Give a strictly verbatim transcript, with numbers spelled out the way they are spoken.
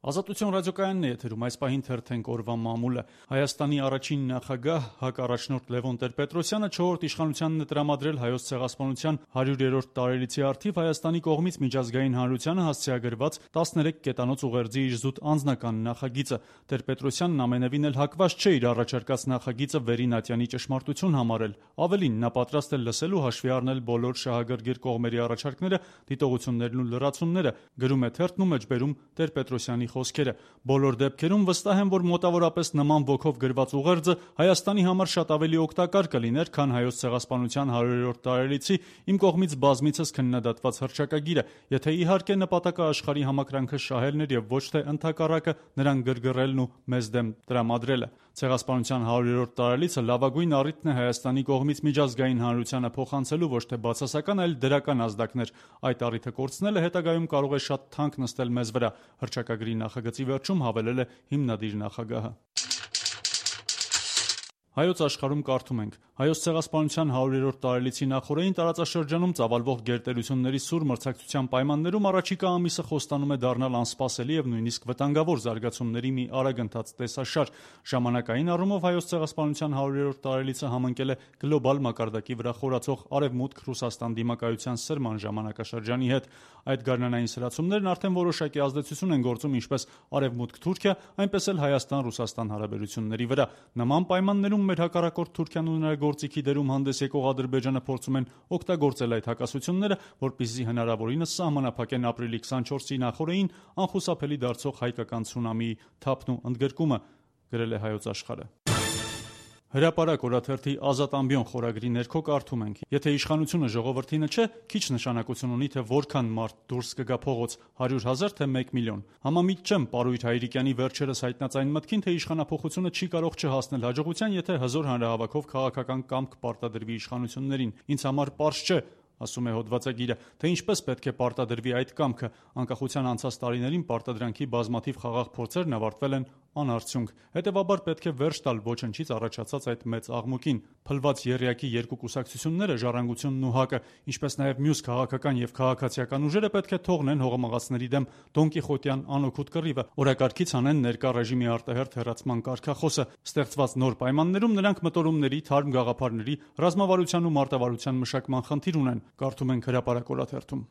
Ազատություն ռադիոկայանն է եթերում, այս պահին թերթենք օրվա մամուլը։ Հայաստանի առաջին նախագահ, հակառաջնորդ Լևոն Տեր-Պետրոսյանը չորրորդ իշխանությանն է տրամադրել Հայոց ցեղասպանության հարյուրերորդ տարելիցի առթիվ Հայաստանի կողմից միջազգային հանրությանը հասցեագրված տասներեք կետանոց ուղերձի իր զուտ անձնական նախագիծը։ Տեր-Պետրոսյանն ամենևին էլ հակված չէ իր առաջարկած նախագիծը վերին ատյանի ճշմարտություն համարել։ Ավելին, նա պատրաստ է լսել ու հաշվի առնել բոլոր շահագրգիռ կողմերի առաջարկները, դիտողություններն ու լրացումները, գրում է թերթն ու մեջբերում Տեր-Պետրոսյանի խոսքերը։ Բոլոր դեպքերում վստահ եմ, որ մոտավորապես նման ոգով գրված ուղերձը Հայաստանի համար շատ ավելի օգտակար կլիներ, քան Հայոց ցեղասպանության հարյուրերորդ տարելիցի իմ կողմից բազմիցս քննադատված հռչակագիրը, եթե իհարկե նպատակը աշխարհի համակրանքը շահելն էր եւ ոչ թե ընդհակառակը նրան գրգռելն ու մեզ դեմ տրամադրելը։ Ցեղասպանության հարյուրերորդ տարելիցը լավագույն առիթն է Հայաստանի կողմից միջազգային հանրությանը փոխանցելու ոչ թե բացասական, այլ դրական ազդակներ։ Այդ առիթը կորցնելը հետագայում կարող է շատ թանկ նստել մեզ վրա, հռչակագրի նախագծի վերջում հավելել է հիմնադիր նախագահը։ Հայոց աշխարհում կարդում ենք. Հայոց ցեղասպանության հարյուրերորդ տարելիցի նախօրեին տարածաշրջանում ծավալվող գերտերությունների սուր մրցակցության պայմաններում առաջիկա ամիսը խոստանում է դառնալ անսպասելի եւ նույնիսկ վտանգավոր զարգացումների մի արագընթաց տեսաշար։ Ժամանակային առումով Հայոց ցեղասպանության հարյուրերորդ տարելիցը համընկել է գլոբալ մակարդակի վրա խորացող Արևմուտք-Ռուսաստան դիմակայության սրման ժամանակաշրջանի հետ։ Այդ գարնանային սրացումներն արդեն որոշակի ազդեցություն են գործում ինչպես Արևմուտք-Թուրքիա, այնպես էլ Հայաստան-Ռուսաստան հարաբերությունների վրա։ Նման պայմաններում մեր հակառակորդ Թուրքիան ու նրա գործիքի դերում հանդես եկող Ադրբեջանը փորձում են օգտագործել այդ հակասությունները, որպեսզի հնարավորինս սահմանափակեն ապրիլի քսանչորսի նախօրեին անխուսափելի դարձող հայկական ցունամիի թափն ու ընդգրկումը, գրել է Հայոց աշխարհը։ Հրապարակ օրաթերթի Ազատ ամբիոն խորագրի ներքո կարդում ենք. Եթե իշխանությունը ժողովրդինը չէ, քիչ նշանակություն ունի, թե որքան մարդ դուրս կգա փողոց՝ հարյուր հազար թե մեկ միլիոն։ Համամիտ չեմ Պարույր Հայրիկյանի վերջերս հայտնած այն մտքին, թե իշխանափոխությունը չի կարող չհասնել հաջողության, եթե հզոր հանրահավաքով քաղաքական կամք պարտադրվի իշխանություններին։ Ինձ համար պարզ չէ, ասում է հոդվածագիրը, թե ինչպես պետք է պարտադրվի այդ կամքը։ Անկախության անցած տարիներին պարտադրանքի բազմաթիվ խաղաղ փորձերն ավարտվել են անարդյունք։ Հետևաբար պետք է վերջ տալ ոչնչից առաջացած այդ մեծ աղմուկին։ Փլված եռյակի երկու կուսակցությունները՝ Ժառանգությունն ու ՀԱԿ-ը, ինչպես նաև մյուս քաղաքական եւ քաղաքացիական ուժերը պետք է թողնեն հողմաղացների դեմ դոնկիխոտյան անօգուտ կռիվը, օրակարգից անեն ներկա ռեժիմի արտահերթ հեռացման կարգախոսը։ Ստեղծված նոր պայմաններում նրանք մտորումների, թարմ գաղափարների, ռազմավարության ու մարտավարության մշակման խնդիր ունեն, կարդում ենք Հրապարակ օրաթերթում։